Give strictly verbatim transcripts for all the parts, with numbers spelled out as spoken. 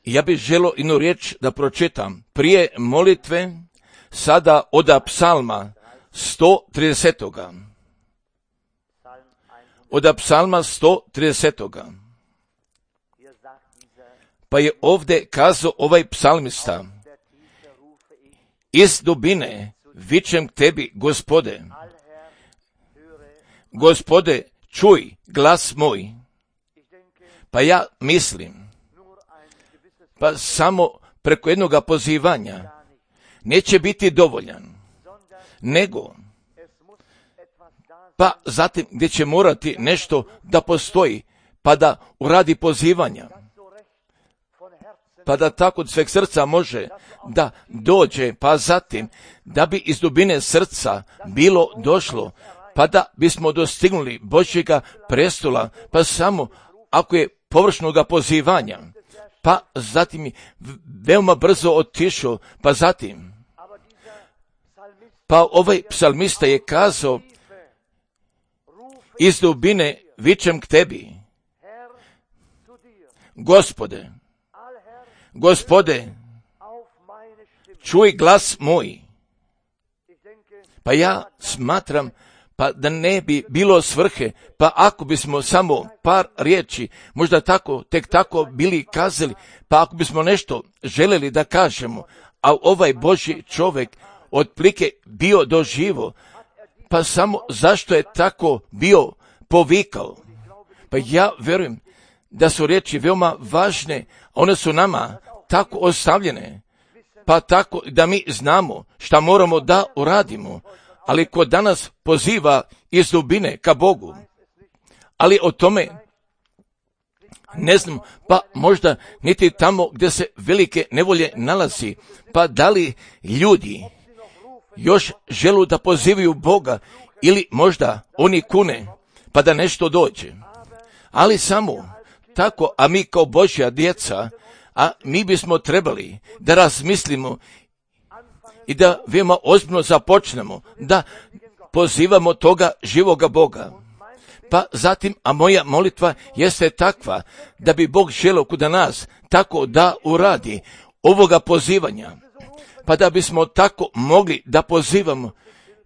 Ja bih želio jednu riječ da pročitam. Prije molitve, sada od psalma sto trideset. Od psalma sto trideset. Pa je ovdje kazao ovaj psalmista: iz dubine vičem k tebi, Gospode. Gospode, čuj glas moj. Pa ja mislim, pa samo preko jednog pozivanja neće biti dovoljan, nego pa zatim gdje će morati nešto da postoji, pa da uradi pozivanja, pa da tako od sveg srca može da dođe, pa zatim da bi iz dubine srca bilo došlo, pa da bismo dostignuli Božjega prestola, pa samo ako je površnoga pozivanja, pa zatim veoma brzo otišao, pa zatim, pa ovaj psalmista je kazao: iz dubine vičem k tebi, Gospode, Gospode, čuj glas moj. Pa ja smatram, pa da ne bi bilo svrhe, pa ako bismo samo par riječi, možda tako, tek tako bili kazali, pa ako bismo nešto željeli da kažemo, a ovaj Božji čovjek otplike bio doživo, pa samo zašto je tako bio povikao. Pa ja vjerujem da su riječi veoma važne, one su nama tako ostavljene, pa tako da mi znamo šta moramo da uradimo, ali ko danas poziva iz dubine ka Bogu, ali o tome ne znam, pa možda niti tamo gdje se velike nevolje nalazi, pa da li ljudi još želu da pozivaju Boga ili možda oni kune pa da nešto dođe. Ali samo tako, a mi kao Božja djeca, a mi bismo trebali da razmislimo i da veoma ozbiljno započnemo da pozivamo toga živoga Boga. Pa zatim, a moja molitva jeste takva da bi Bog želio kod nas tako da uradi ovoga pozivanja, pa da bismo tako mogli da pozivamo,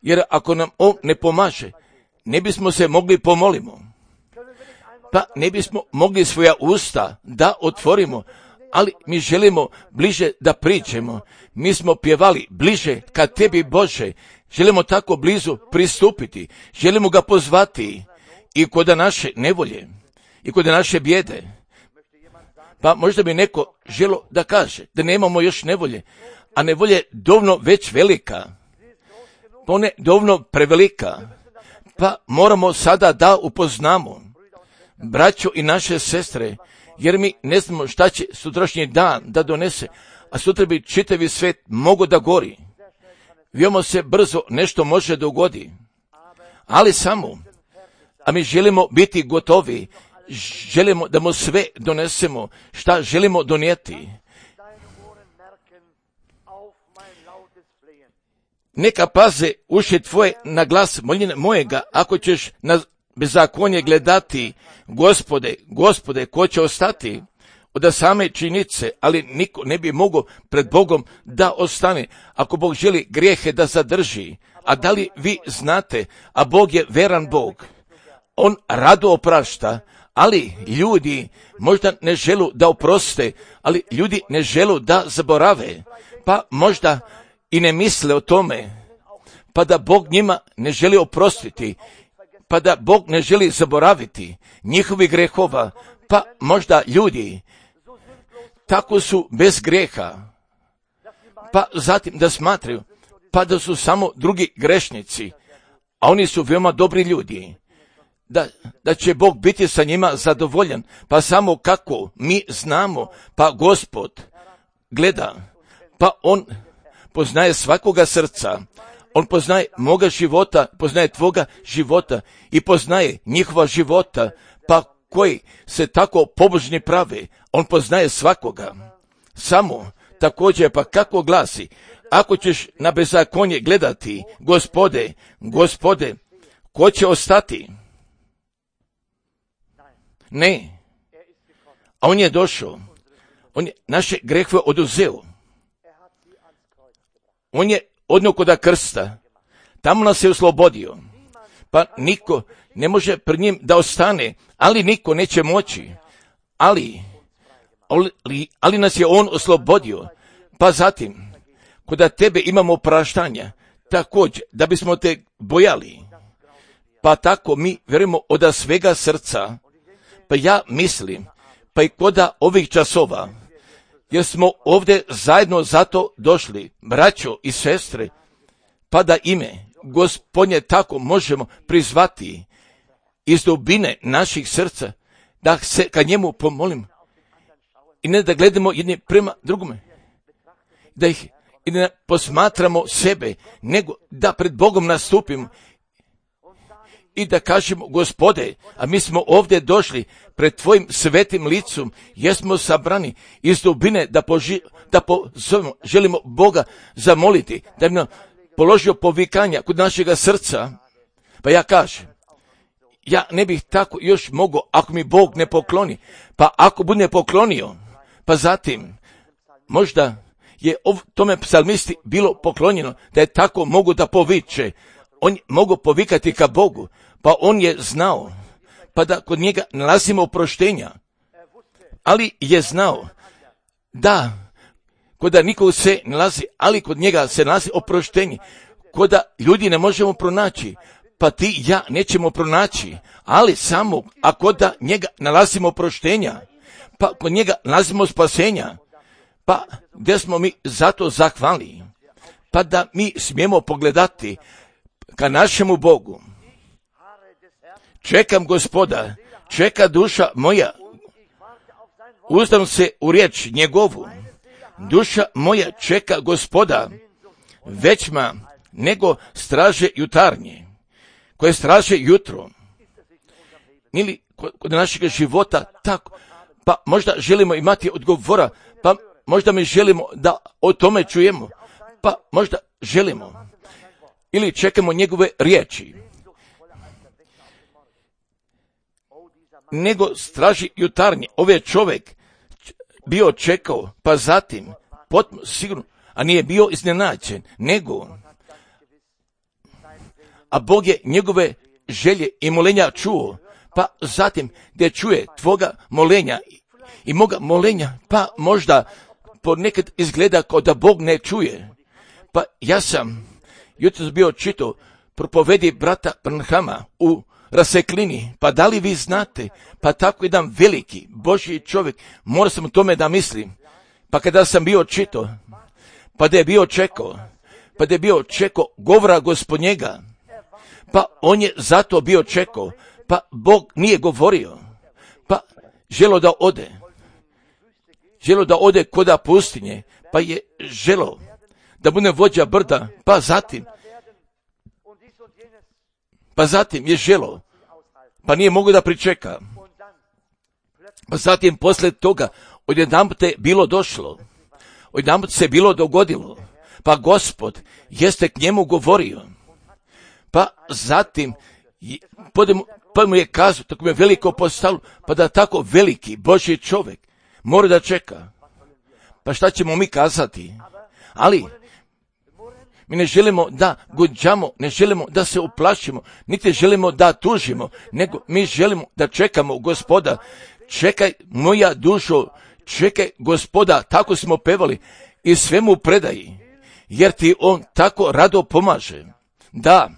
jer ako nam on ne pomaže, ne bismo se mogli pomolimo, pa ne bismo mogli svoja usta da otvorimo, ali mi želimo bliže da priđemo. Mi smo pjevali bliže ka tebi, Bože, želimo tako blizu pristupiti, želimo ga pozvati i kod naše nevolje i kod naše bijede. Pa možda bi neko želo da kaže da nemamo još nevolje, a nevolje je dovoljno već velika, pa ona je dovoljno prevelika, pa moramo sada da upoznamo braćo i naše sestre, jer mi ne znamo šta će sutrašnji dan da donese, a sutra bi čitavi svet mogo da gori. Veoma se brzo nešto može dogodi, ali samo, a mi želimo biti gotovi, želimo da mu sve donesemo, šta želimo donijeti. Neka paze uši tvoje na glas moljenja mojega, ako ćeš na bezakonje gledati, Gospode, Gospode, ko će ostati od same činjenice, ali niko ne bi mogao pred Bogom da ostane, ako Bog želi grijehe da zadrži. A da li vi znate, a Bog je veran Bog, on rado oprašta, ali ljudi možda ne želu da oproste, ali ljudi ne želu da zaborave, pa možda i ne misle o tome, pa da Bog njima ne želi oprostiti, pa da Bog ne želi zaboraviti njihovi grehova, pa možda ljudi tako su bez grijeha, pa zatim da smatraju, pa da su samo drugi grešnici, a oni su veoma dobri ljudi, da, da će Bog biti sa njima zadovoljan, pa samo kako mi znamo, pa Gospod gleda, pa on poznaje svakoga srca, on poznaje moga života, poznaje tvoga života i poznaje njihova života, pa koji se tako pobožni prave, on poznaje svakoga. Samo također, pa kako glasi, ako ćeš na bezakonje gledati, Gospode, Gospode, ko će ostati? Ne, a on je došao, on je naše grehove oduzeo, on je odnio koda krsta, tamo nas je oslobodio, pa niko ne može pred njim da ostane, ali niko neće moći, ali, ali, ali nas je on oslobodio, pa zatim, koda tebe imamo opraštanja, također, da bismo te bojali, pa tako mi vjerujemo od svega srca, pa ja mislim, pa i koda ovih časova, jer smo ovdje zajedno zato došli, braćo i sestre, pa da ime Gospodnje tako možemo prizvati iz dubine naših srca, da se ka njemu pomolim i ne da gledamo jedni prema drugome, da ih i ne posmatramo sebe, nego da pred Bogom nastupimo i da kažemo, Gospode, a mi smo ovdje došli pred tvojim svetim licom, jesmo sabrani iz dubine da, poži, da pozovemo, želimo Boga zamoliti, da bi nam položio povikanja kod našega srca. Pa ja kažem, ja ne bih tako još mogao ako mi Bog ne pokloni, pa ako bude poklonio, pa zatim možda je tome psalmisti bilo poklonjeno da je tako mogu da poviče, on mogu povikati ka Bogu, pa on je znao, pa da kod njega nalazimo oproštenja, ali je znao da koda nikog se nalazi, ali kod njega se nalazi oproštenje, koda ljudi ne možemo pronaći, pa ti i ja nećemo pronaći, ali samo a koda njega nalazimo oproštenja, pa kod njega nalazimo spasenja, pa gdje smo mi zato zahvali, pa da mi smijemo pogledati ka našemu Bogu. Čekam Gospoda, čeka duša moja, uzdam se u riječ njegovu, duša moja čeka Gospoda, većma nego straže jutarnje, koje straže jutro, ili kod našeg života tako, pa možda želimo imati odgovora, pa možda mi želimo da o tome čujemo, pa možda želimo, ili čekamo njegove riječi, nego straži jutarnje. Ovaj čovjek bio čekao, pa zatim, potpuno sigurno, a nije bio iznenađen, nego, a Bog je njegove želje i molenja čuo, pa zatim gdje čuje tvoga molenja i moga molenja, pa možda ponekad izgleda kao da Bog ne čuje. Pa ja sam jutros bio čitao propovedi brata Branhama u Raseklini, pa da li vi znate, pa tako jedan veliki Božji čovjek, mora sam o tome da mislim, pa kada sam bio čitao, pa da je bio čekao, pa da je bio čekao govora Gospodnjega, pa on je zato bio čekao, pa Bog nije govorio, pa želo da ode, želo da ode koda pustinje, pa je želo da bude vođa brda, pa zatim, pa zatim je želo, pa nije mogao da pričeka, pa zatim poslije toga odjedanput je bilo došlo, odjedanput se bilo dogodilo, pa Gospod jeste k njemu govorio, pa zatim pa mu je kazao, tako mu je veliko postalo, pa da tako veliki Božji čovjek mora da čeka. Pa šta ćemo mi kazati? Ali mi ne želimo da gunđamo, ne želimo da se uplašimo, niti želimo da tužimo, nego mi želimo da čekamo Gospoda. Čekaj moja dušo, čekaj Gospoda, tako smo pevali, i svemu predaji, jer ti on tako rado pomaže. Da,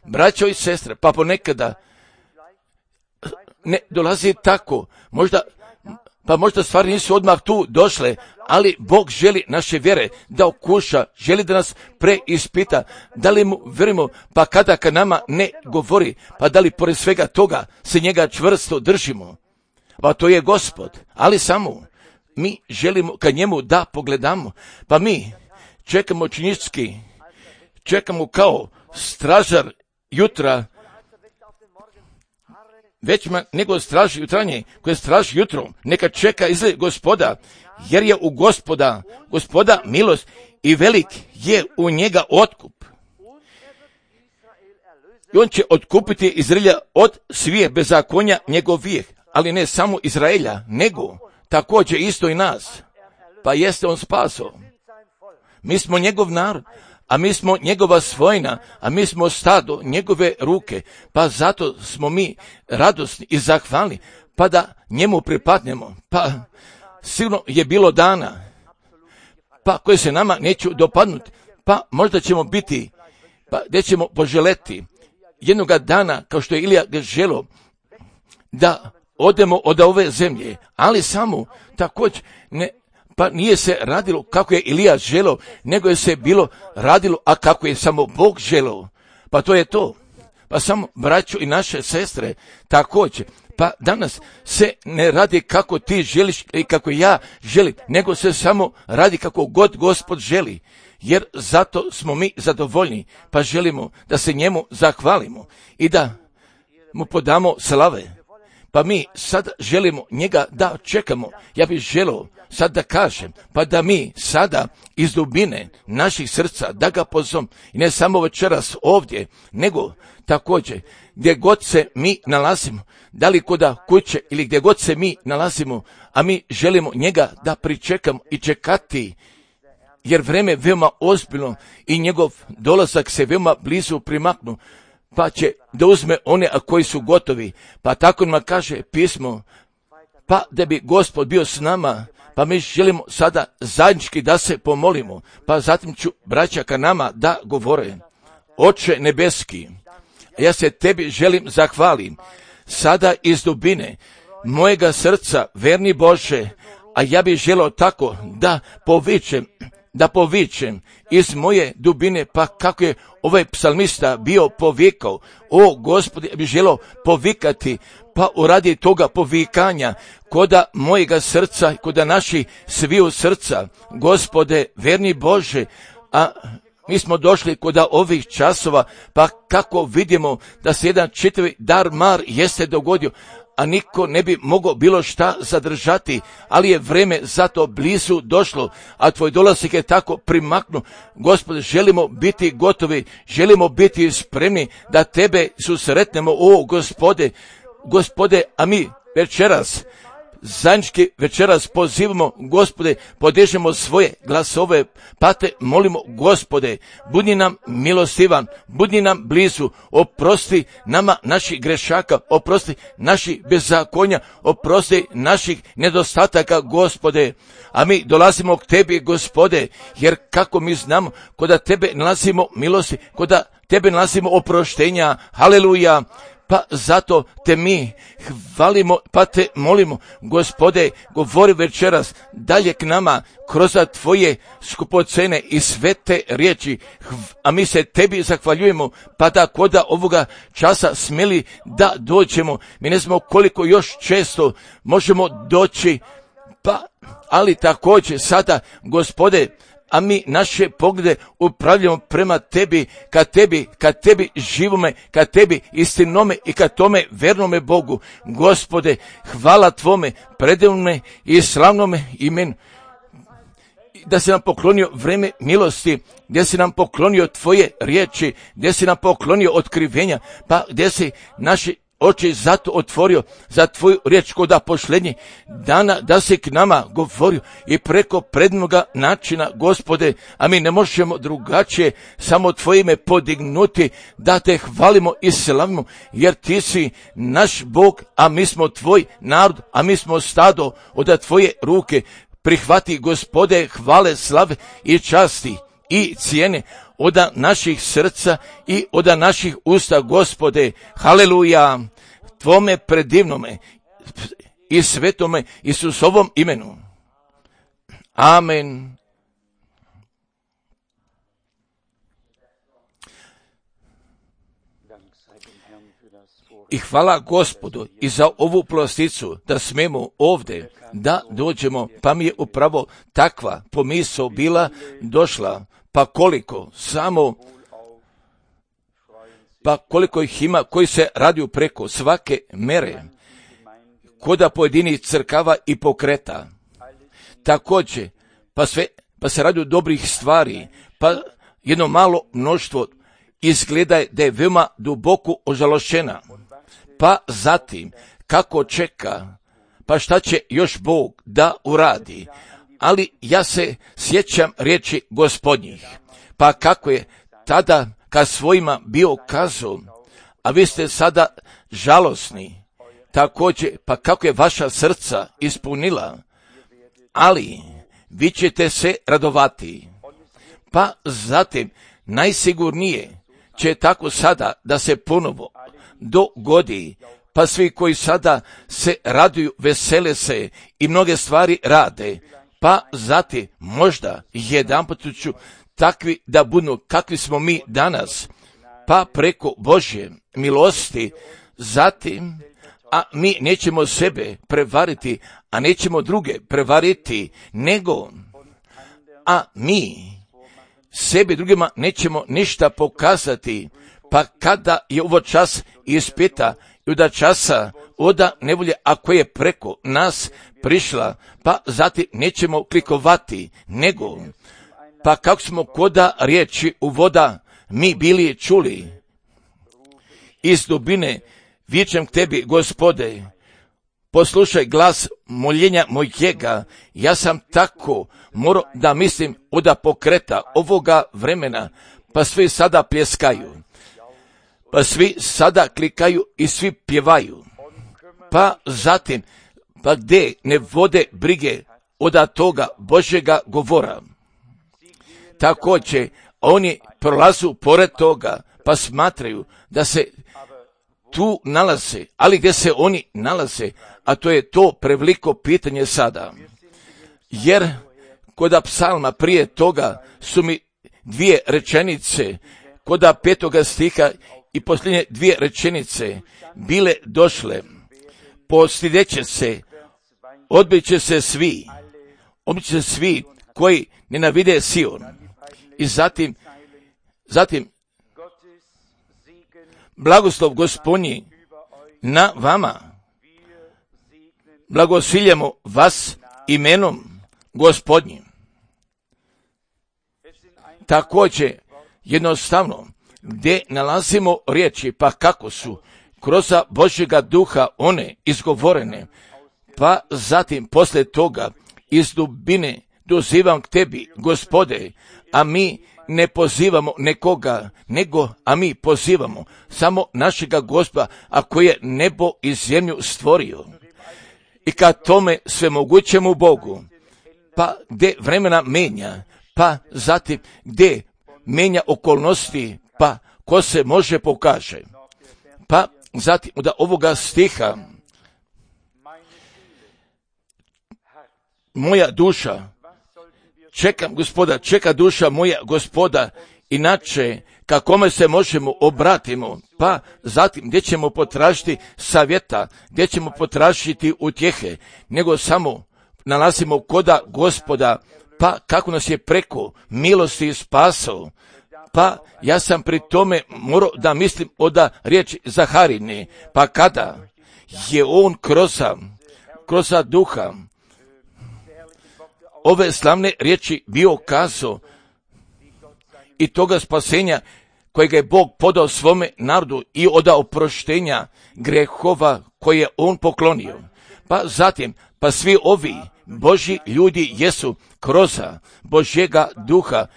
braćo i sestre, pa ponekada ne dolazi tako, možda, pa možda stvari nisu odmah tu došle, ali Bog želi naše vjere da okuša, želi da nas preispita, da li mu vjerujemo, pa kada ka nama ne govori, pa da li pored svega toga se njega čvrsto držimo. Pa to je Gospod, ali samo mi želimo ka njemu da pogledamo, pa mi čekamo činički, čekamo kao stražar jutra, većma nego straži jutranje, koje straži jutro, neka čeka izgled Gospoda, jer je u Gospoda, Gospoda milost i velik je u njega otkup. I on će otkupiti Izraelja od svih bezakonja njegovih, ali ne samo Izraelja, nego također isto i nas. Pa jeste on spaso. Mi smo njegov narod, a mi smo njegova svojina, a mi smo stado njegove ruke, pa zato smo mi radosni i zahvalni, pa da njemu pripadnemo. Pa sigurno je bilo dana, pa koje se nama neću dopadnuti, pa možda ćemo biti, pa gdje ćemo poželeti jednoga dana, kao što je Ilija želio, da odemo od ove zemlje, ali samo također ne, pa nije se radilo kako je Ilija želio, nego je se bilo radilo, a kako je samo Bog želio. Pa to je to. Pa samo braćo i naše sestre također. Pa danas se ne radi kako ti želiš i kako ja želim, nego se samo radi kako god Gospod želi. Jer zato smo mi zadovoljni, pa želimo da se njemu zahvalimo i da mu podamo slave. Pa mi sad želimo njega da čekamo. Ja bih želio sad da kažem, pa da mi sada iz dubine naših srca da ga pozovemo, i ne samo večeras ovdje, nego također gdje god se mi nalazimo, da li kod kuće ili gdje god se mi nalazimo, a mi želimo njega da pričekamo i čekati, jer vreme je veoma ozbiljno i njegov dolazak se veoma blizu primaknu, pa će da uzme one a koji su gotovi. Pa tako nam kaže pismo, pa da bi Gospod bio s nama, pa mi želimo sada zajednički da se pomolimo, pa zatim ću braća ka nama da govore. Oče nebeski, ja se tebi želim zahvalim, sada iz dubine mojega srca, verni Bože, a ja bih želio tako da povičem, da povičem iz moje dubine, pa kako je ovaj psalmista bio povikao, o Gospodi, ja bih želio povikati, pa uradi toga povikanja, koda mojega srca, koda naših sviju srca, Gospode, verni Bože, a mi smo došli kod ovih časova, pa kako vidimo da se jedan čitavi dar mar jeste dogodio, a niko ne bi mogao bilo šta zadržati, ali je vreme zato blizu došlo, a tvoj dolazak je tako primaknu. Gospode, želimo biti gotovi, želimo biti spremni da tebe susretnemo, o Gospode, Gospode, a mi večeras, zajednički večeras pozivamo, Gospode, podižemo svoje glasove, pa te molimo, Gospode, budi nam milostivan, budi nam blizu, oprosti nama naših grešaka, oprosti naših bezakonja, oprosti naših nedostataka, Gospode, a mi dolazimo k tebi, Gospode, jer kako mi znamo, koda tebe nalazimo milosti, koda tebe nalazimo oproštenja, haleluja. Pa zato te mi hvalimo, pa te molimo, Gospode, govori večeras dalje k nama kroz tvoje skupocene i svete riječi, a mi se tebi zahvaljujemo, pa da koda ovoga časa smjeli da dođemo. Mi ne znamo koliko još često možemo doći, pa ali također sada, Gospode, a mi naše poglede upravljamo prema tebi, ka tebi, ka tebi živome, ka tebi istinome i ka tome vernome Bogu. Gospode, hvala tvome, predivnome i slavnome imenu. Da si nam poklonio vreme milosti, gdje si nam poklonio tvoje riječi, gdje si nam poklonio otkrivenja, pa gdje si naši oči zato otvorio za tvoju riječ koda pošlenje dana, da si k nama govorio i preko prednoga načina, Gospode, a mi ne možemo drugačije samo tvoje ime podignuti, da te hvalimo i slavimo, jer ti si naš Bog, a mi smo tvoj narod, a mi smo stado od tvoje ruke. Prihvati, Gospode, hvale, slave i časti i cijene od naših srca i od naših usta, Gospode, haleluja, tvome predivnome i svetome Isusovom imenu. Amen. I hvala Gospodu i za ovu plasticu da smemo ovdje da dođemo, pa mi je upravo takva pomisao bila došla. Pa koliko, samo, pa koliko ih ima koji se radiju preko svake mere, koda pojedinih crkava i pokreta. Također, pa sve, pa se radiju dobrih stvari, pa jedno malo mnoštvo izgleda da je veoma duboko ožalošćena. Pa zatim, kako čeka, pa šta će još Bog da uradi? Ali ja se sjećam riječi Gospodnjih, pa kako je tada kad svojima bio kazao, a vi ste sada žalosni, također, pa kako je vaša srca ispunila, ali vi ćete se radovati. Pa zatim najsigurnije će tako sada da se ponovo dogodi, pa svi koji sada se raduju, vesele se i mnoge stvari rade, pa zatim možda jedanput ću takvi da budu kakvi smo mi danas, pa preko Božje milosti, zatim, a mi nećemo sebe prevariti, a nećemo druge prevariti, nego, a mi sebi drugima nećemo ništa pokazati, pa kada je ovo čas ispita i oda časa, oda nevolje, ako je preko nas prišla, pa zatim nećemo klikovati, nego, pa kako smo koda riječi u voda mi bili čuli, iz dubine vičem k tebi, Gospode, poslušaj glas moljenja mojega. Ja sam tako morao da mislim oda pokreta ovoga vremena, pa svi sada pljeskaju, pa svi sada klikaju i svi pjevaju, pa zatim, pa gdje ne vode brige oda toga Božjega govora. Također, oni prolazu pored toga, pa smatraju da se tu nalaze, ali gdje se oni nalaze, a to je to preveliko pitanje sada. Jer koda psalma prije toga su mi dvije rečenice, koda petoga stiha i posljednje dvije rečenice bile došle, postideće se, odbit će se svi, odbit će se svi koji nenavide Sion. I zatim, zatim, blagoslov Gospodnji na vama, blagosiljamo vas imenom Gospodnjim. Također, jednostavno, gdje nalazimo riječi, pa kako su kroz Božjega duha one izgovorene, pa zatim poslije toga iz dubine dozivam k tebi, Gospode, a mi ne pozivamo nekoga, nego, a mi pozivamo samo našega Gospoda, a koji je nebo i zemlju stvorio. I kad tome svemogućemu Bogu, pa gdje vremena menja, pa zatim gdje menja okolnosti, pa ko se može pokaže. Pa zatim da ovoga stiha, moja duša, čekam Gospoda, čeka duša moja Gospoda, inače kakome se možemo obratimo, pa zatim gdje ćemo potražiti savjeta, gdje ćemo potražiti utjehe, nego samo nalazimo koda Gospoda, pa kako nas je preko milosti spasao. Pa ja sam pri tome morao da mislim oda riječi Zaharine, pa kada je on kroz, kroz duha ove slavne riječi bio kazao i toga spasenja kojega je Bog podao svome narodu i od oproštenja grehova koje je on poklonio. Pa zatim, pa svi ovi Božji ljudi jesu kroz Božjega duha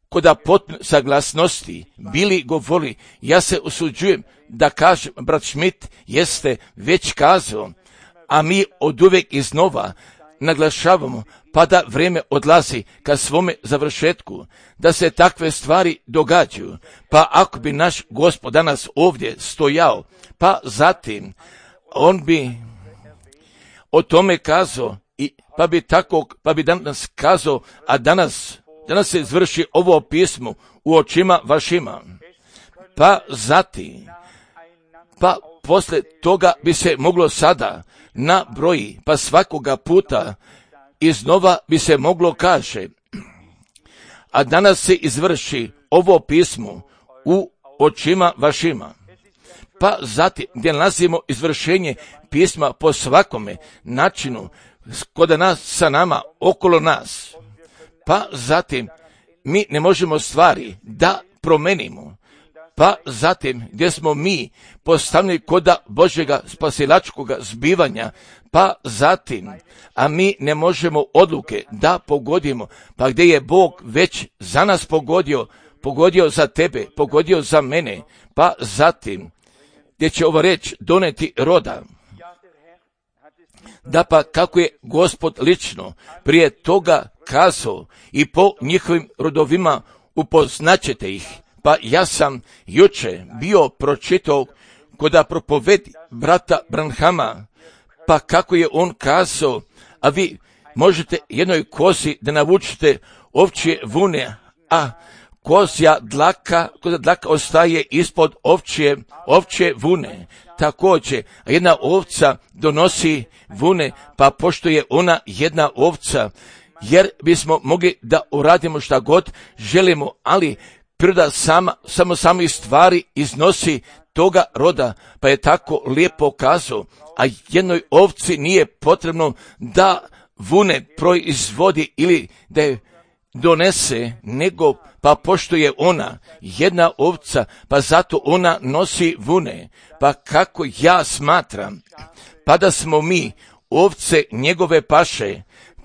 koda potpune saglasnosti bili govorili. Ja se usuđujem da kažem, brat Schmidt jeste već kazao, a mi od uvijek iznova naglašavamo, pa da vrijeme odlazi ka svome završetku, da se takve stvari događaju. Pa ako bi naš Gospod danas ovdje stojao, pa zatim on bi o tome kazao, i pa bi tako, pa bi danas kazao, a danas, danas se izvrši ovo pismo u očima vašima. Pa zatim, pa posle toga bi se moglo sada na broji, pa svakoga puta iznova bi se moglo kaže, a danas se izvrši ovo pismo u očima vašima. Pa zatim gdje nalazimo izvršenje pisma po svakome načinu, kod nas, sa nama, okolo nas. Pa zatim mi ne možemo stvari da promenimo. pa zatim gdje smo mi postavljeni koda Božjega spasilačkoga zbivanja, pa zatim, a mi ne možemo odluke da pogodimo, pa gdje je Bog već za nas pogodio, pogodio za tebe, pogodio za mene, pa zatim gdje će ova reč doneti roda. Da pa kako je Gospod lično prije toga kazao i po njihovim rodovima upoznaćete ih. Pa ja sam juče bio pročitao koda propovedi brata Branhama, pa kako je on kazao, a vi možete jednoj kozi da navučete ovčje vune, a kozja dlaka, kozja dlaka ostaje ispod ovčje, ovčje vune. Također, a jedna ovca donosi vune, pa pošto je ona jedna ovca, jer bismo mogli da uradimo šta god želimo, ali priroda sama, samo samih stvari iznosi toga roda, pa je tako lijepo kazao, a jednoj ovci nije potrebno da vune proizvodi ili da je donese, nego pa pošto je ona jedna ovca, pa zato ona nosi vune. Pa kako ja smatram, pa da smo mi ovce njegove paše,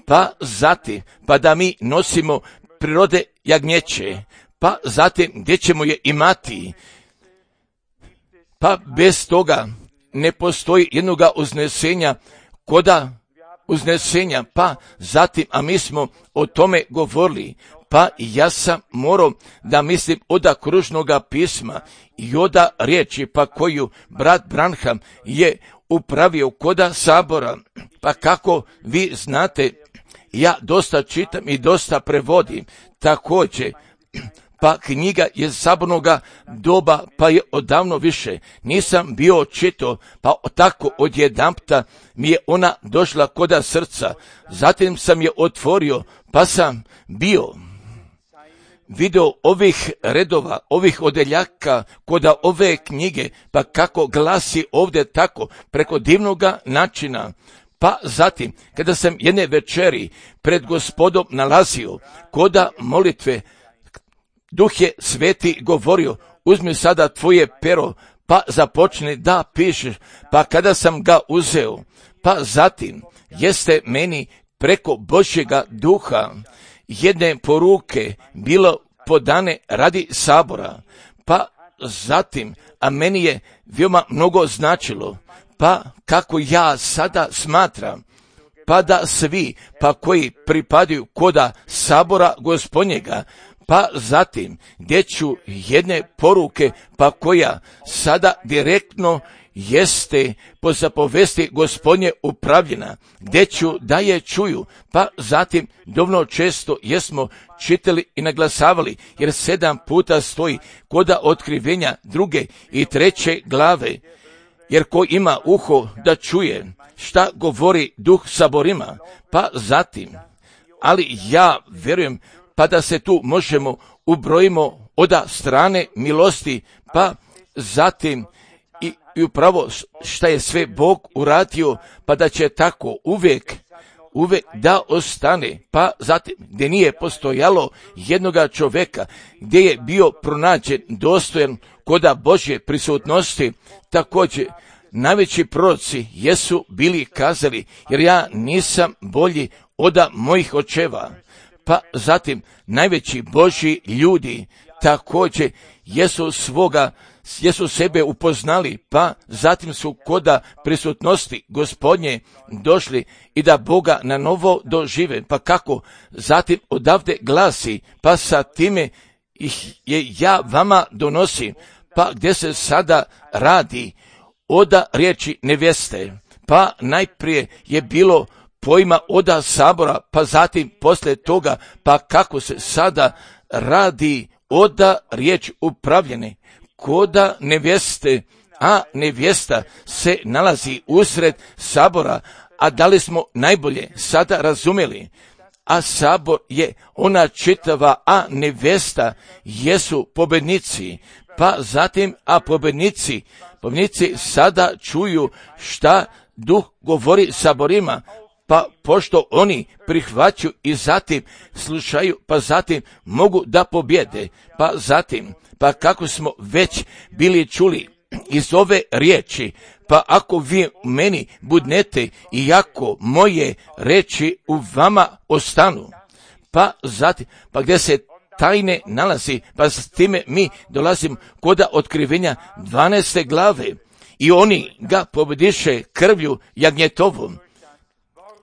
pa zatim, pa da mi nosimo prirode jagnjeće, pa zatim gdje ćemo je imati, pa bez toga ne postoji jednoga uznesenja koda uznesenja, pa zatim, a mi smo o tome govorili, pa ja sam morao da mislim oda kružnoga pisma i oda riječi, pa koju brat Branham je upravio koda sabora, pa kako vi znate, ja dosta čitam i dosta prevodim, također, pa knjiga je sabornoga doba, pa je odavno više. Nisam bio čitao, pa tako odjedanpta mi je ona došla koda srca. Zatim sam je otvorio, pa sam bio video ovih redova, ovih odeljaka koda ove knjige, pa kako glasi ovdje tako, preko divnoga načina. Pa zatim, kada sam jedne večeri pred Gospodom nalazio koda molitve, Duh je sveti govorio, uzmi sada tvoje pero, pa započni da pišeš, pa kada sam ga uzeo, pa zatim jeste meni preko Božjega duha jedne poruke bilo podane radi sabora, pa zatim, a meni je veoma mnogo značilo, pa kako ja sada smatram, pa da svi, pa koji pripadaju koda sabora Gospodnjega, pa zatim gdje ću jedne poruke, pa koja sada direktno jeste po zapovesti Gospodnje upravljena, gdje ću da je čuju, pa zatim dovoljno često jesmo čitali i naglasavali, jer sedam puta stoji koda otkrivenja druge i treće glave, jer ko ima uho da čuje šta govori Duh saborima, pa zatim, ali ja vjerujem, pa da se tu možemo ubrojimo oda strane milosti, pa zatim i, i upravo šta je sve Bog uradio, pa da će tako uvijek, uvijek da ostane, pa zatim gdje nije postojalo jednoga čovjeka, gdje je bio pronađen dostojan koda Božje prisutnosti, također najveći proroci jesu bili kazali, jer ja nisam bolji oda mojih očeva. Pa zatim najveći Božji ljudi također jesu svoga, jesu sebe upoznali, pa zatim su koda prisutnosti Gospodnje došli i da Boga na novo dožive. Pa kako zatim odavde glasi, pa sa time ih je ja vama donosim, pa gdje se sada radi oda riječi nevjeste, pa najprije je bilo pojma oda sabora, pa zatim poslije toga, pa kako se sada radi oda riječ upravljene, koda nevjeste, a nevjesta se nalazi usred sabora, a da li smo najbolje sada razumjeli? A sabor je ona čitava, a nevjesta jesu pobjednici, pa zatim, a pobjednici, pobjednici sada čuju šta Duh govori saborima, pa pošto oni prihvaćaju i zatim slušaju, pa zatim mogu da pobjede, pa zatim, pa kako smo već bili čuli iz ove riječi, pa ako vi u meni budnete i ako moje reči u vama ostanu, pa zatim, pa gdje se tajne nalazi, pa s time mi dolazimo kod otkrivenja dvanaeste glave i oni ga pobjediše krvlju jagnjetovom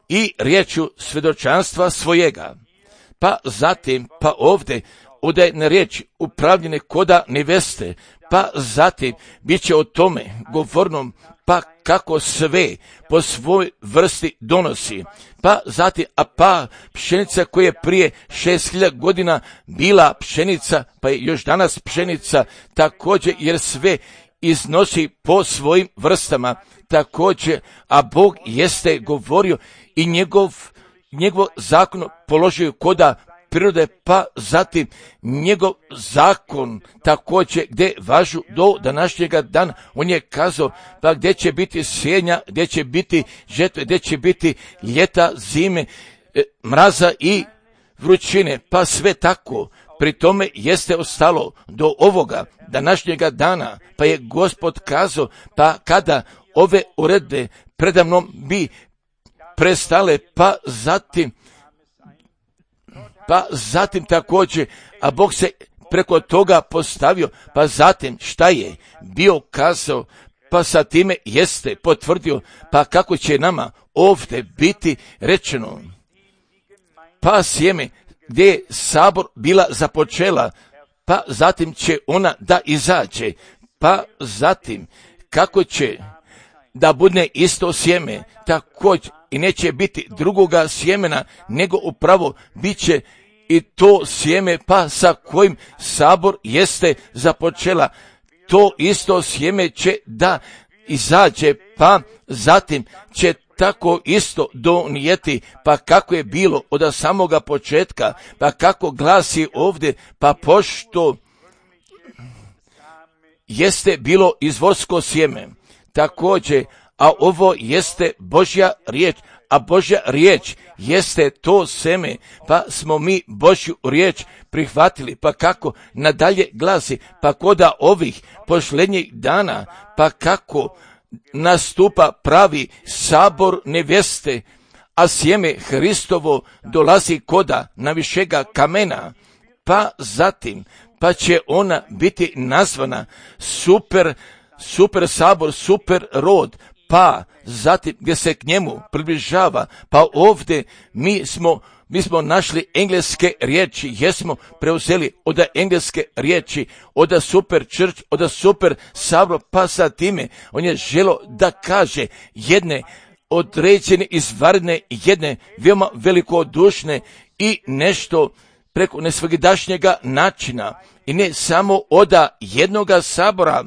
i riječju svjedočanstva svojega. Pa zatim, pa ovdje, ovdje je na riječ upravljene koda neveste, pa zatim bit će o tome govornom, pa kako sve po svoj vrsti donosi, pa zatim, a pa pšenica koja je prije šest hiljada godina bila pšenica, pa je još danas pšenica također, jer sve iznosi po svojim vrstama također, a Bog jeste govorio i njegov, njegov zakon položio koda prirode, pa zatim njegov zakon također gdje važu do današnjega dana. On je kazao pa gdje će biti sjenja, gdje će biti žetve, gdje će biti ljeta, zime, mraza i vrućine, pa sve tako. Pri tome jeste ostalo do ovoga današnjega dana, pa je Gospod kazao, pa kada ove uredbe predamnom bi prestale, pa zatim pa zatim također, a Bog se preko toga postavio, pa zatim šta je bio kazao, pa sa time jeste potvrdio, pa kako će nama ovdje biti rečeno, pa sjeme gdje je sabor bila započela, pa zatim će ona da izađe, pa zatim kako će da bude isto sjeme, također i neće biti drugoga sjemena, nego upravo bit će i to sjeme, pa sa kojim sabor jeste započela, to isto sjeme će da izađe, pa zatim će tako isto donijeti, pa kako je bilo od samoga početka, pa kako glasi ovdje, pa pošto jeste bilo izvorsko sjeme, također, a ovo jeste Božja riječ, a Božja riječ jeste to seme, pa smo mi Božju riječ prihvatili, pa kako nadalje glasi, pa koda ovih posljednjih dana, pa kako nastupa pravi sabor neveste, a sjeme Hristovo dolazi koda navišega kamena, pa zatim, pa će ona biti nazvana super, super sabor, super rod, pa zatim gdje se k njemu približava, pa ovdje mi smo, mi smo našli engleske riječi, jesmo preuzeli od engleske riječi, od super church, od super sabor, pa sa time on je želo da kaže jedne određene izvanredne, jedne veoma velikodušne i nešto preko nesvakidašnjega načina i ne samo od jednoga sabora,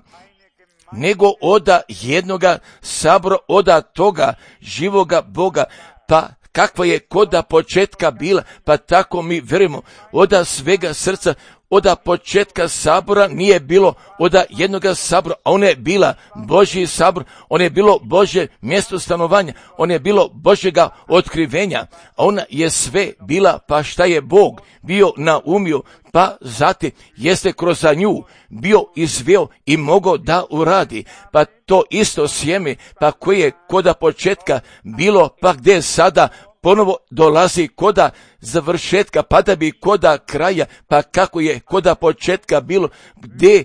nego oda jednoga sabora, oda toga živoga Boga, pa kakva je koda početka bila, pa tako mi verujemo, oda svega srca, oda početka sabora nije bilo oda jednoga sabora, a ona je bila Božji sabor, on je bilo Božje mjesto stanovanja, on je bilo Božjega otkrivenja, a ona je sve bila, pa šta je Bog bio naumio, pa zatim jeste kroz nju bio izveo i mogao da uradi, pa to isto sjeme, pa koje je koda početka bilo, pa gdje sada ponovo dolazi koda završetka, pa da bi koda kraja, pa kako je koda početka bilo, gdje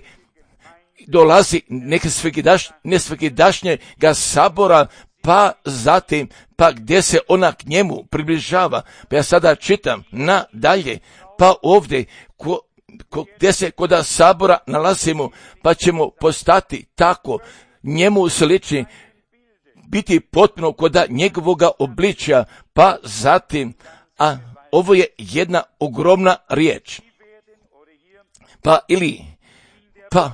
dolazi neke nesvakidašnjega sabora, pa zatim, pa gdje se ona k njemu približava. Pa ja sada čitam nadalje, pa ovdje ko, ko, gdje se koda sabora nalazimo, pa ćemo postati tako njemu slični, biti potpuno koda njegovoga obličja, pa zatim, a ovo je jedna ogromna riječ, pa ili, pa,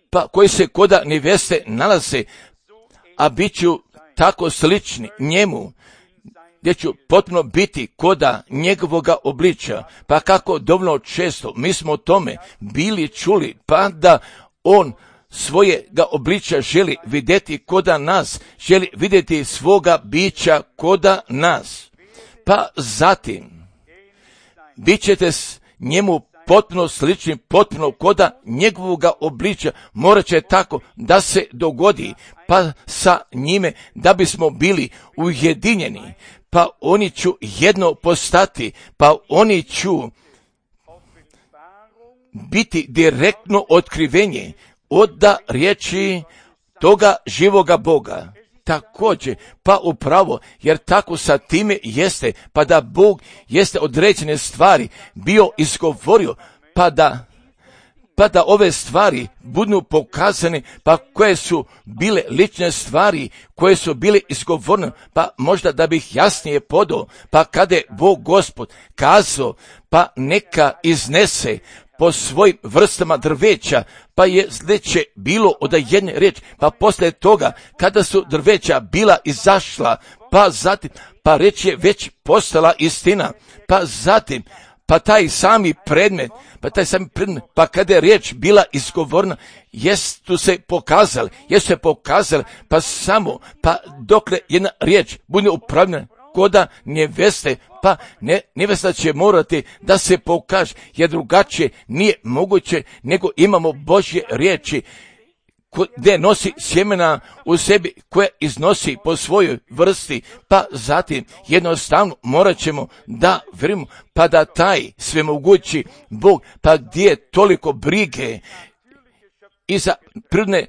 pa koji se koda neveste nalaze, a bit ću tako slični njemu, gdje ću potpuno biti koda njegovoga obličja, pa kako dovoljno često mi smo o tome bili čuli, pa da on svojega obličja želi vidjeti koda nas, želi vidjeti svoga bića koda nas. Pa zatim, bit ćete s njemu potpuno slični, potpuno koda njegovoga obličja, morat će tako da se dogodi, pa sa njime da bismo bili ujedinjeni, pa oni ću jedno postati, pa oni ću biti direktno otkrivenje od riječi toga živoga Boga. Također, pa upravo, jer tako sa time jeste, pa da Bog jeste određene stvari bio izgovorio, pa da, pa da ove stvari budu pokazane, pa koje su bile lične stvari, koje su bile izgovorene, pa možda da bih jasnije podao, pa kada je Bog Gospod kazao, pa neka iznese po svojim vrstama drveća, pa je sljedeće bilo od jedne riječi, pa poslije toga, kada su drveća bila izašla, pa zatim, pa reč je već postala istina, pa zatim, pa taj sami predmet, pa taj sami predmet, pa kada je riječ bila izgovorna, jesu se pokazali, jesu se pokazali, pa samo, pa dokle jedna riječ bude upravljena koda neveste, pa ne, nevesta će morati da se pokaže, jer drugačije nije moguće, nego imamo Božje riječi, gdje nosi sjemena u sebi, koje iznosi po svojoj vrsti, pa zatim jednostavno morat ćemo da vjerujemo, pa da taj svemogući Bog, pa gdje je toliko brige i za prirodne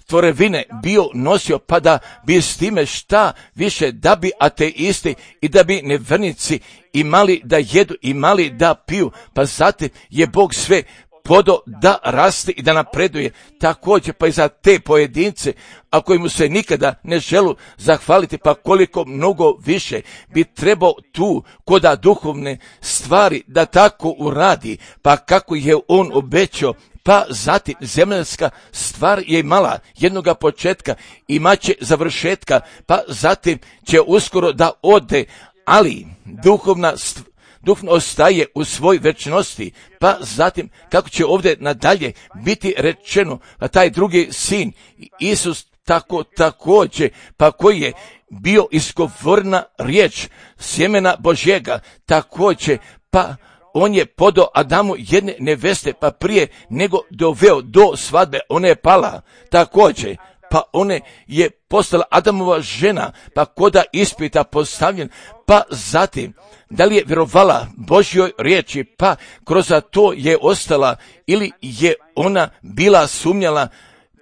tvorevine bio nosio, pa da bi s time šta više, da bi ateisti i da bi nevjernici imali da jedu, imali da piju, pa zatim je Bog sve podo da raste i da napreduje. Također pa i za te pojedince, a koji mu se nikada ne želu zahvaliti, pa koliko mnogo više bi trebao tu koda duhovne stvari da tako uradi, pa kako je on obećao. Pa zatim zemljanska stvar je imala jednoga početka, imaće završetka, pa zatim će uskoro da ode, ali duhovna stvar duhovno ostaje u svoj večnosti, pa zatim kako će ovdje nadalje biti rečeno, pa taj drugi sin, Isus tako također, pa koji je bio izgovorna riječ sjemena Božjega, također, pa on je podao Adamu jedne neveste, pa prije nego doveo do svadbe, ona je pala, također, pa ona je postala Adamova žena, pa koda ispita postavljen, pa zatim, da li je vjerovala Božjoj riječi, pa kroz to je ostala, ili je ona bila sumnjala,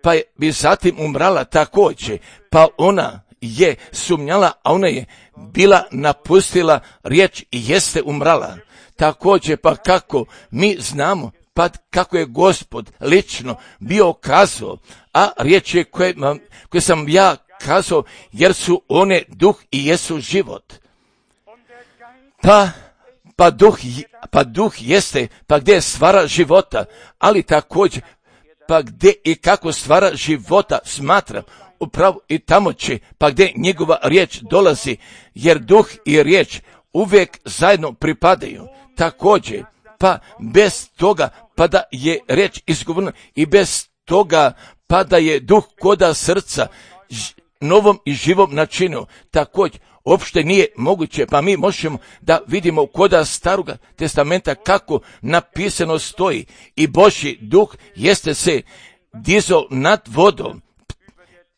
pa bi zatim umrala također, pa ona je sumnjala, a ona je bila napustila riječ i jeste umrala. Također, pa kako mi znamo, pa kako je Gospod lično bio kazao, a riječi koje, koje sam ja kazao, jer su one duh i jesu život. Pa, pa, duh, pa duh jeste, pa gdje je stvara života, ali također, pa gdje i kako stvara života smatram, upravo i tamo će, pa gdje njegova riječ dolazi, jer duh i riječ uvijek zajedno pripadaju. Također, pa bez toga, pa da je riječ izgovorena i bez toga, pa da je duh koda srca ž, novom i živom načinu, također, uopšte nije moguće, pa mi možemo da vidimo koda staroga testamenta kako napisano stoji i Božji duh jeste se dizao nad vodom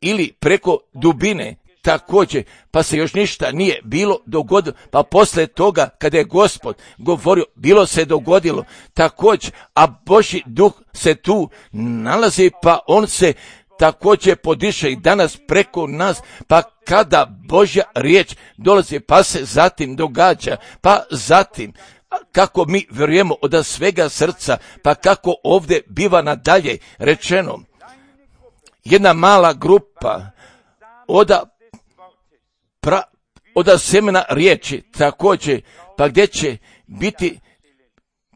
ili preko dubine, također, pa se još ništa nije bilo dogodilo, pa poslije toga kada je Gospod govorio, bilo se dogodilo, također, a Božji duh se tu nalazi, pa on se također podiše i danas preko nas, pa kada Božja riječ dolazi, pa se zatim događa, pa zatim, kako mi vjerujemo od svega srca, pa kako ovdje biva nadalje rečeno, jedna mala grupa od pra, od semena riječi, također, pa gdje će biti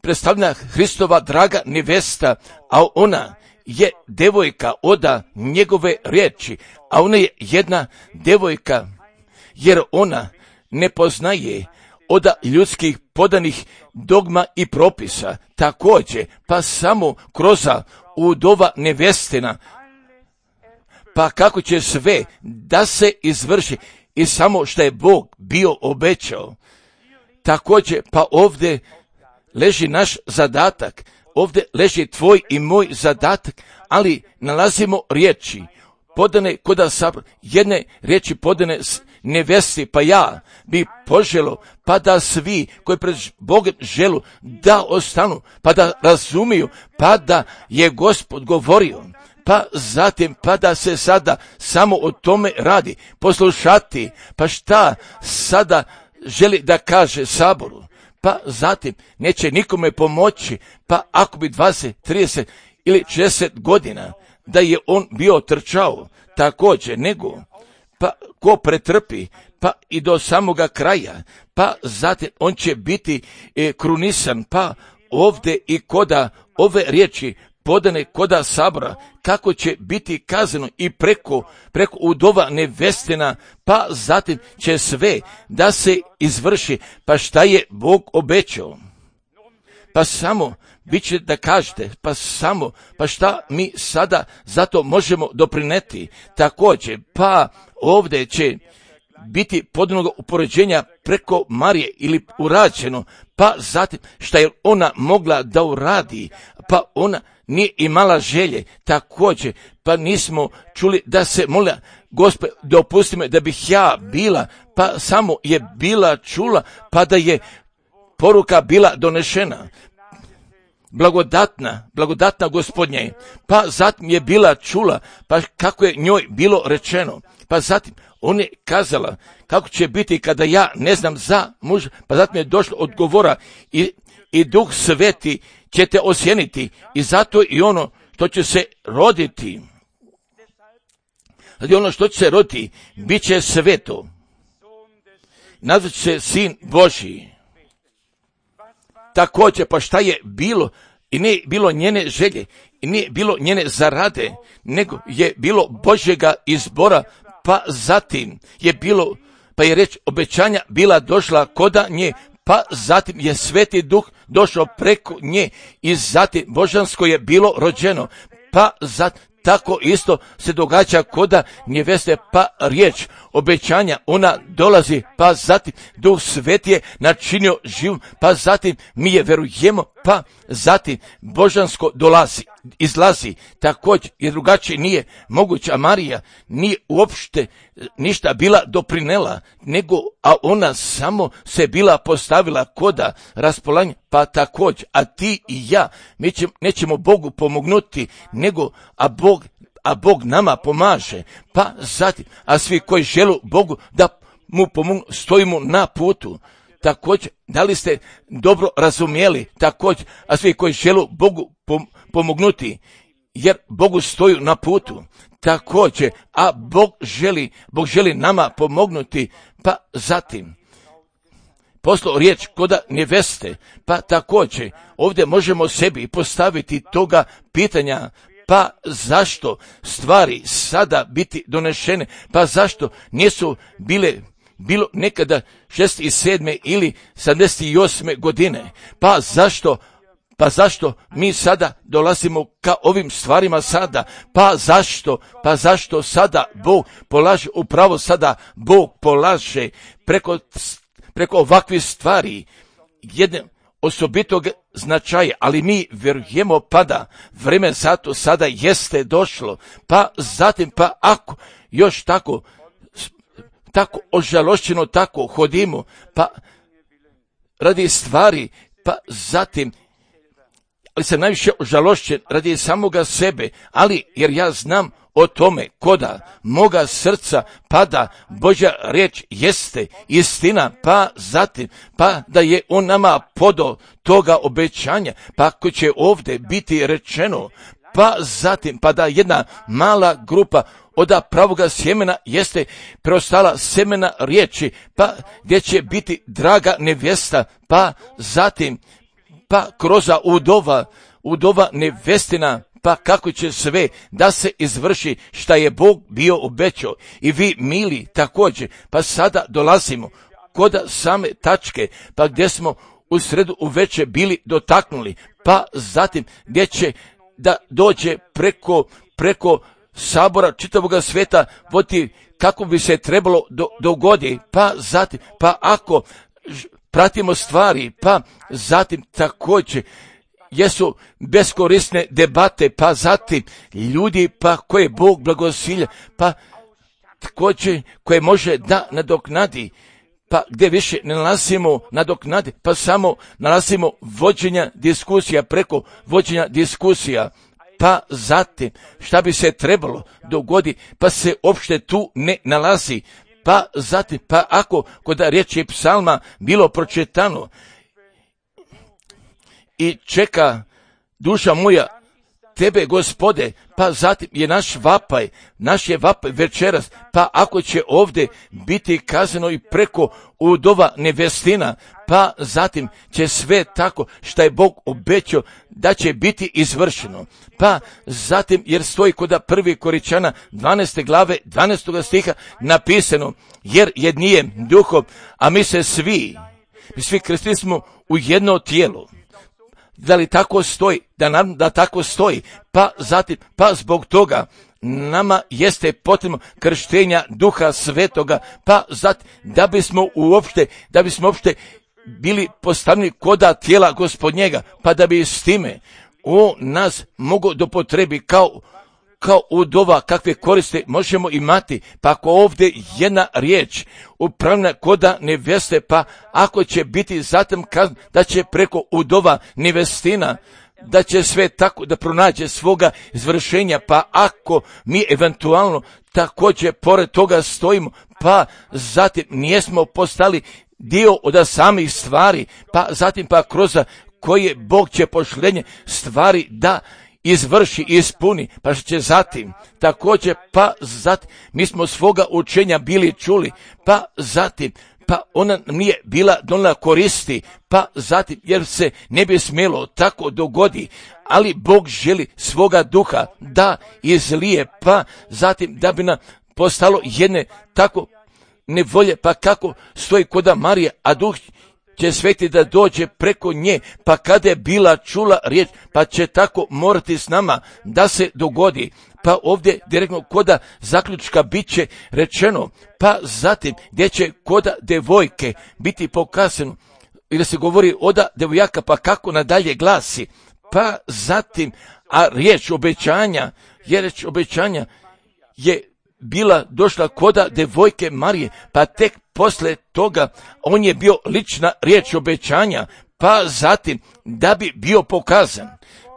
predstavljena Hristova draga nevesta, a ona je devojka od njegove riječi, a ona je jedna devojka, jer ona ne poznaje od ljudskih podanih dogma i propisa, također, pa samo kroz udova nevestina, pa kako će sve da se izvrši i samo što je Bog bio obećao. Također, pa ovdje leži naš zadatak, ovdje leži tvoj i moj zadatak, ali nalazimo riječi podane koda sabor, jedne riječi podane nevesti, pa ja bi poželo, pa da svi koji pred Bogom želu da ostanu, pa da razumiju, pa da je Gospod govorio, pa zatim, pa da se sada samo o tome radi, poslušati, pa šta sada želi da kaže saboru, pa zatim neće nikome pomoći, pa ako bi dvadeset, trideset ili šezdeset godina da je on bio trčao, također nego, pa ko pretrpi, pa i do samoga kraja, pa zatim on će biti e, krunisan, pa ovdje i koda ove riječi podane koda sabora, kako će biti kazano i preko, preko udova nevestina, pa zatim će sve da se izvrši, pa šta je Bog obećao. Pa samo, vi ćete da kažete, pa samo, pa šta mi sada zato možemo doprineti. Također, pa ovdje će biti podnog upoređenja preko Marije ili urađeno, pa zatim šta je ona mogla da uradi, pa ona nije imala želje, također, pa nismo čuli da se molila, Gospod, dopusti me da bih ja bila, pa samo je bila čula, pa da je poruka bila donešena. Blagodatna, blagodatna Gospodnje, pa zatim je bila čula, pa kako je njoj bilo rečeno, pa zatim on je kazala kako će biti kada ja ne znam za muža, pa zatim je došlo odgovora i, i Duh Sveti će te osjeniti i zato i ono što će se roditi, i ono što će se roditi, bit će sveto, nazvat će se Sin Božji. Također, pa šta je bilo, i nije bilo njene želje, i nije bilo njene zarade, nego je bilo Božjega izbora, pa zatim je bilo, pa je reč obećanja bila došla koda nje, pa zatim je Sveti Duh došao preko nje i zatim božansko je bilo rođeno, pa zatim tako isto se događa koda njeveste, pa riječ obećanja, ona dolazi, pa zatim Duh Sveti je načinio živom, pa zatim mi je verujemo, pa zatim božansko dolazi, izlazi, također jer drugačije nije moguće, a Marija nije uopšte ništa bila doprinela, nego, a ona samo se bila postavila koda raspolanja, pa također, a ti i ja, mi ćemo, nećemo Bogu pomognuti, nego, a Bog, a Bog nama pomaže, pa zatim, a svi koji žele Bogu da mu pomognu, stojimo na putu. Također, da li ste dobro razumjeli, također, a svi koji žele Bogu pomognuti, jer Bogu stoju na putu, također, a Bog želi, Bog želi nama pomognuti, pa zatim, poslao riječ koda neveste, pa također, ovdje možemo sebi postaviti toga pitanja, pa zašto stvari sada biti donešene, pa zašto nisu bile bilo nekada šezdeset sedme ili sedamdeset osme godine, pa zašto, pa zašto mi sada dolazimo ka ovim stvarima sada, pa zašto, pa zašto sada Bog polaže, upravo sada Bog polaže preko, preko ovakvih stvari jedne osobitog značaja, ali mi vjerujemo pa da vreme zato sada jeste došlo, pa zatim, pa ako još tako tako ožalošćeno tako hodimo, pa radi stvari, pa zatim, ali sam najviše ožalošćen radi samoga sebe, ali jer ja znam o tome koda moga srca pada Božja riječ jeste istina, pa zatim, pa da je on nama podao toga obećanja, pa ako će ovdje biti rečeno, pa zatim, pa da jedna mala grupa od pravoga sjemena jeste preostala semena riječi, pa gdje će biti draga nevjesta, pa zatim, pa kroz udova, udova nevestina, pa kako će sve da se izvrši šta je Bog bio obećao. I vi, mili, također, pa sada dolazimo kod same tačke, pa gdje smo u sredu uveče bili dotaknuli, pa zatim gdje će da dođe preko, preko sabora čitavoga sveta voditi kako bi se trebalo do, dogodi, pa zatim, pa ako pratimo stvari, pa zatim također jesu beskorisne debate, pa zatim ljudi pa koje Bog blagosilja, pa također koje može da nadoknadi, pa gdje više ne nalazimo nadoknadi, pa samo nalazimo vođenja diskusija preko vođenja diskusija, pa zatim šta bi se trebalo dogodi, pa se uopšte tu ne nalazi, pa zatim, pa ako kod riječi psalma bilo pročitano i čeka duša moja tebe, Gospode, pa zatim je naš vapaj, naš je vapaj večeras, pa ako će ovdje biti kazano i preko udova nevestina, pa zatim će sve tako što je Bog obećao da će biti izvršeno. Pa zatim, jer stoji kod prvi Koričana dvanaeste glave dvanaestog stiha napisano, jer jednijem duhom, a mi se svi, mi svi krstili smo u jedno tijelo. Da li tako stoji? Da nam da tako stoji. Pa zatim, pa zbog toga nama jeste potrebno krštenja Duha Svetoga, pa zatim da bismo uopšte, da bismo uopšte bili postavljeni koda tijela Gospodnjega, pa da bi s time on nas mogo do potrebi kao kao udova kakve koriste možemo imati, pa ako ovdje jedna riječ upravna koda neveste, pa ako će biti zatim kazan da će preko udova nevestina, da će sve tako da pronađe svoga izvršenja, pa ako mi eventualno također pored toga stojimo, pa zatim nijesmo postali dio od samih stvari, pa zatim pa kroz koje Bog će pošlenje stvari da izvrši i ispuni, pa što će zatim također, pa zatim mi smo svoga učenja bili čuli, pa zatim pa ona nije bila donijela koristi, pa zatim jer se ne bi smjelo tako dogodi, ali Bog želi svoga duha da izlije, pa zatim da bi nam postalo jedne tako nevolje, pa kako stoji koda Marije, a duh će sveti da dođe preko nje, pa kada je bila čula riječ, pa će tako morati s nama da se dogodi. Pa ovdje direktno koda zaključka bit će rečeno, pa zatim gdje će koda devojke biti pokazano, i da se govori oda devojaka, pa kako nadalje glasi, pa zatim, a riječ obećanja, je riječ obećanja je bila došla koda devojke Marije, pa tek posle toga on je bio lična riječ obećanja, pa zatim da bi bio pokazan.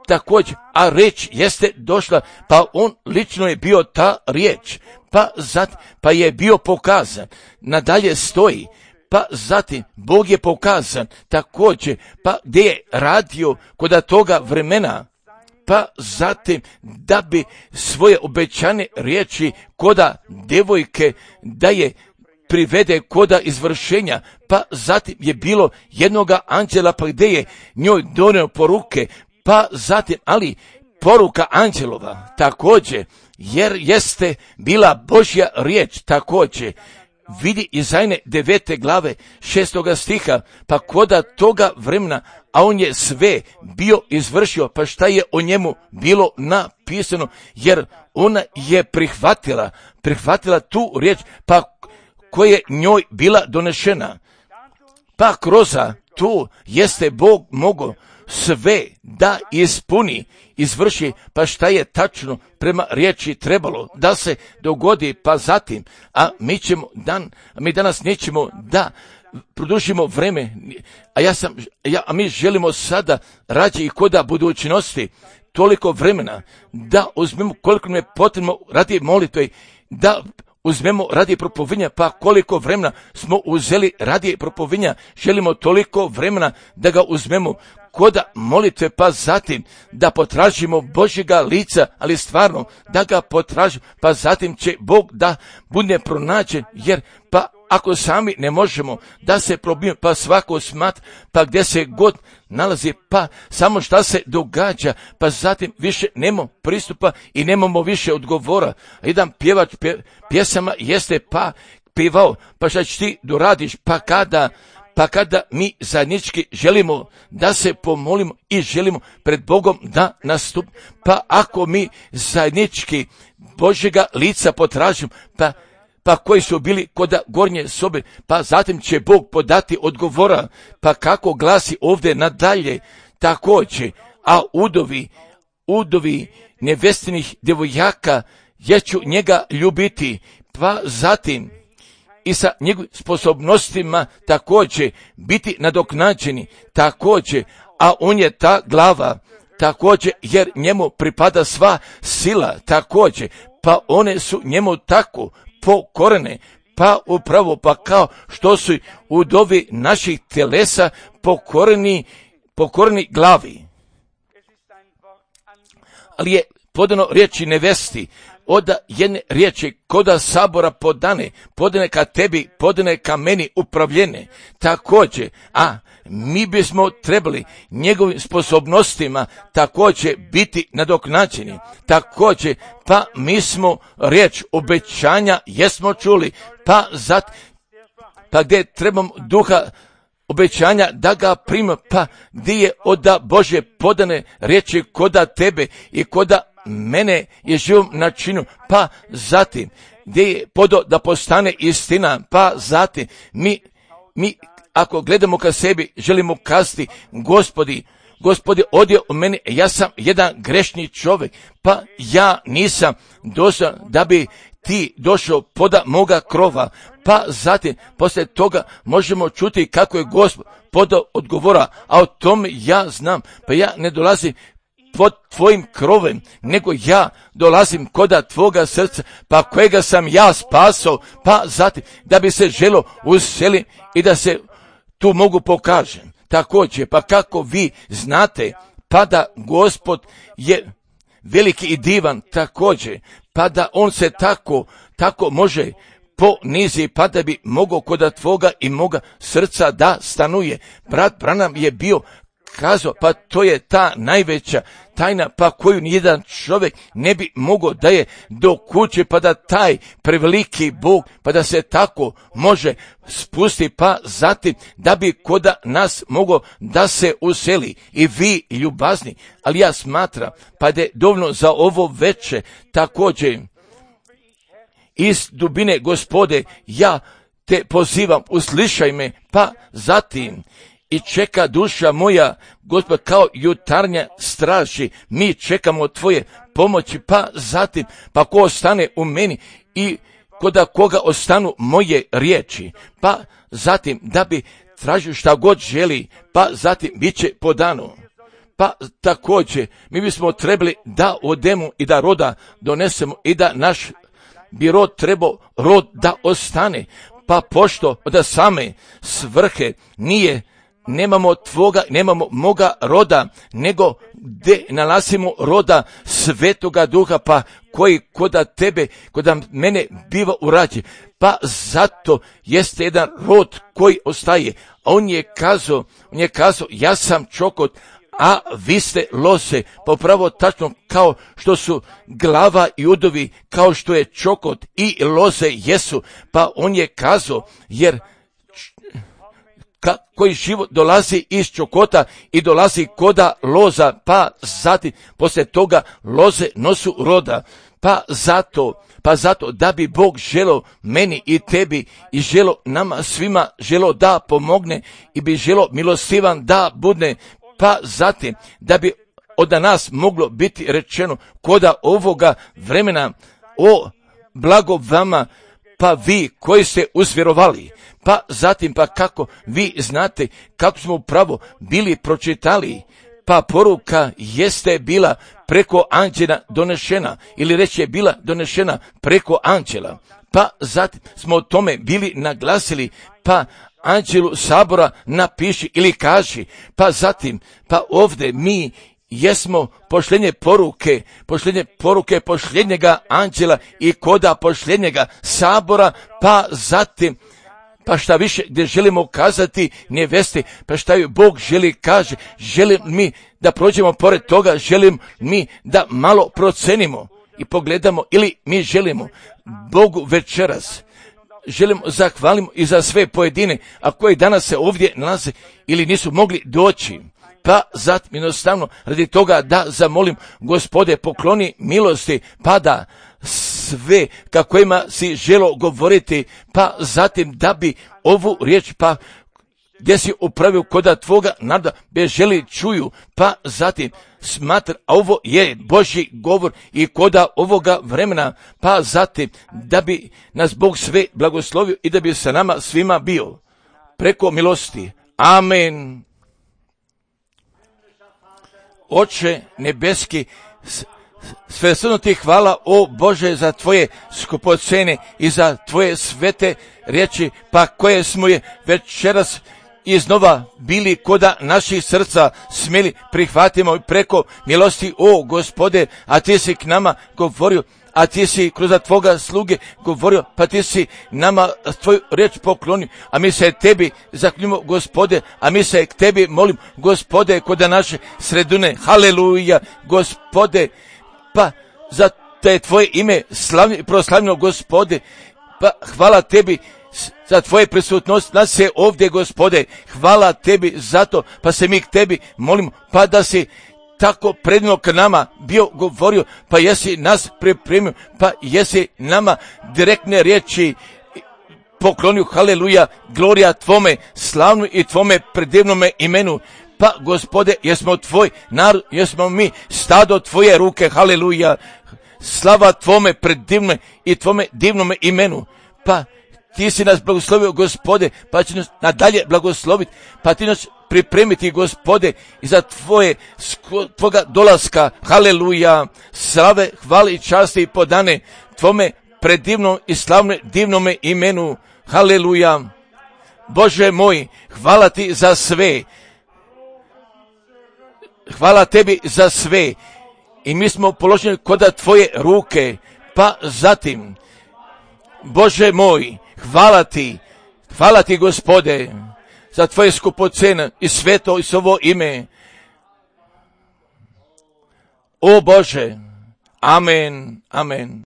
Također, a riječ jeste došla, pa on lično je bio ta riječ, pa zatim, pa je bio pokazan. Nadalje stoji, pa zatim Bog je pokazan također, pa gdje je radio kod toga vremena, pa zatim da bi svoje obećane riječi koda devojke da je privede koda izvršenja, pa zatim je bilo jednoga anđela, pa gdje je njoj donio poruke, pa zatim, ali poruka anđelova također, jer jeste bila Božja riječ također, vidi Izajne devete glave šestoga stiha, pa koda toga vremena, a on je sve bio izvršio, pa šta je o njemu bilo napisano, jer ona je prihvatila, prihvatila tu riječ, pa koja je njoj bila donešena. Pa kroz tu jeste Bog mogao sve da ispuni, izvrši, pa šta je tačno prema riječi trebalo da se dogodi, pa zatim, a mi ćemo dan, a mi danas nećemo da produžimo vreme, a ja sam, ja, a mi želimo sada rađe i koda budućnosti toliko vremena da uzmemo koliko nam je potrebno radi molitve, da uzmemo radi propovinja, pa koliko vremena smo uzeli radi propovinja, želimo toliko vremena da ga uzmemo koda molitve, pa zatim da potražimo Božjega lica, ali stvarno da ga potražimo, pa zatim će Bog da bude pronađen, jer pa ako sami ne možemo da se probijemo, pa svako smat, pa gdje se god nalazi, pa samo šta se događa, pa zatim više nemamo pristupa i nemamo više odgovora. Jedan pjevač pje, pjesama jeste pa pivao, pa šta ćeš ti doradiš, pa kada pa kada mi zajednički želimo da se pomolimo i želimo pred Bogom da nastup, pa ako mi zajednički Božjega lica potražimo, pa pa koji su bili kod gornje sobe, pa zatim će Bog podati odgovora, pa kako glasi ovdje nadalje, također, a udovi, udovi nevestinih djevojaka, ja ću njega ljubiti, pa zatim i sa njegovim sposobnostima također biti nadoknađeni, također, a on je ta glava, također, jer njemu pripada sva sila, također, pa one su njemu tako pokorene, pa upravo pa kao što su udovi naših telesa pokoreni, pokoreni glavi. Ali je podano riječi nevesti, oda jedne riječi koda sabora podane, podane ka tebi, podane ka meni upravljene, također, a mi bismo trebali njegovim sposobnostima također biti nadoknađeni, također, pa mi smo riječ obećanja jesmo čuli, pa zat, pa gdje trebamo duha obećanja da ga prima, pa gdje je oda Bože podane riječi koda tebe i koda mene je živom načinu, pa zatim gdje je podo da postane istina, pa zatim mi, mi ako gledamo ka sebi želimo kazati, Gospodi, Gospodi, odje u meni, ja sam jedan grešni čovjek, pa ja nisam došao da bi ti došao poda moga krova, pa zatim poslije toga možemo čuti kako je Gospod podao odgovora, a o tome ja znam, pa ja ne dolazim pod tvojim krovem, nego ja dolazim koda tvoga srca, pa kojega sam ja spasao, pa zatim da bi se želo useliti i da se tu mogu pokažem. Također, pa kako vi znate, pa da Gospod je veliki i divan također, pa da on se tako, tako može ponizi, pa da bi mogao koda tvoga i moga srca da stanuje. Brat Branham je bio kazao, pa to je ta najveća tajna, pa koju nijedan čovjek ne bi mogao da je do kuće, pa da taj preveliki Bog, pa da se tako može spusti, pa zatim da bi koda nas mogao da se useli. I vi ljubazni, ali ja smatram, pa da je dovoljno za ovo veče, također iz dubine Gospode, ja te pozivam, uslišaj me, pa zatim i čeka duša moja, Gospod, kao jutarnja straži, mi čekamo tvoje pomoći, pa zatim, pa ko ostane u meni i koda koga ostanu moje riječi, pa zatim da bi tražio šta god želi, pa zatim bit će podano. Pa također, mi bismo trebali da odemo i da roda donesemo i da naš bi rod trebao rod da ostane, pa pošto od same svrhe nije, nemamo tvoga, nemamo moga roda, nego gdje nalazimo roda Svetoga Duha, pa koji koda tebe, koda mene biva urađen, pa zato jeste jedan rod koji ostaje, a on je kazao, on je kazao, ja sam čokot, a vi ste lose, popravo tačno kao što su glava i udovi, kao što je čokot i loze jesu, pa on je kazao, jer ka, koji život dolazi iz čokota i dolazi koda loza, pa zatim poslije toga loze nosu roda, pa zato, pa zato da bi Bog želo meni i tebi i želo nama svima želo da pomogne i bi želo milostivan da budne, pa zatim da bi od nas moglo biti rečeno koda ovoga vremena, o blago vama, pa vi koji ste usvjerovali, pa zatim pa kako vi znate kako smo upravo bili pročitali, pa poruka jeste bila preko anđela donešena, ili reći je bila donešena preko anđela, pa zatim smo o tome bili naglasili, pa anđelu sabora napiši ili kaži, pa zatim, pa ovdje mi jesmo pošljenje poruke, pošljenje poruke pošljenjega anđela i koda pošljenjega sabora, pa zatim, pa šta više gdje želimo kazati nevesti, pa šta ju Bog želi kaže, želim mi da prođemo pored toga, želim mi da malo procenimo i pogledamo, ili mi želimo Bogu večeras želim zahvaliti i za sve pojedine, a koji danas se ovdje nalaze ili nisu mogli doći. Pa zatim jednostavno radi toga da zamolim Gospode pokloni milosti, pa da sve kako ima si želo govoriti, pa zatim da bi ovu riječ pa gdje si upravio koda tvoga naroda be želi čuju, pa zatim smatra, a ovo je Božji govor i koda ovoga vremena, pa zatim da bi nas Bog sve blagoslovio i da bi sa nama svima bio preko milosti. Amen. Oče nebeski, svesrdno ti hvala, o Bože, za tvoje skupocene i za tvoje svete riječi, pa koje smo je večeras iznova bili koda naših srca smjeli prihvatimo preko milosti, o Gospode, a ti si k nama govorio, a ti si kroz tvoga sluge govorio, pa ti si nama tvoju riječ poklonio, a mi se tebi zakljujemo, Gospode, a mi se k tebi molim, Gospode, koda naše sredine, haleluja, Gospode, pa za te tvoje ime slavno i proslavljeno, Gospode, pa hvala tebi za tvoje prisutnost, nas je ovdje, Gospode, hvala tebi za to, pa se mi k tebi molimo, pa da si tako predno k nama bio govorio, pa jesi nas pripremio, pa jesi nama direktne riječi poklonio, haleluja, glorija tvome slavnu i tvome predivnome imenu. Pa Gospode, jesmo tvoj narod, jesmo mi stado tvoje ruke, haleluja, slava tvome predivnome i tvome divnome imenu. Pa ti si nas blagoslovio, Gospode, pa će nas nadalje blagosloviti, pa ti nas pripremiti, Gospode, i za tvoje, tvoga dolaska, haleluja, slave, hvale i časti i podane tvome predivnom i slavne divnome imenu, haleluja. Bože moj, hvala ti za sve, hvala tebi za sve, i mi smo položeni koda tvoje ruke, pa zatim, Bože moj, hvala ti, hvala ti, Gospode, za tvoje skupocene i sveto i svoje ime. O Bože, amen, amen.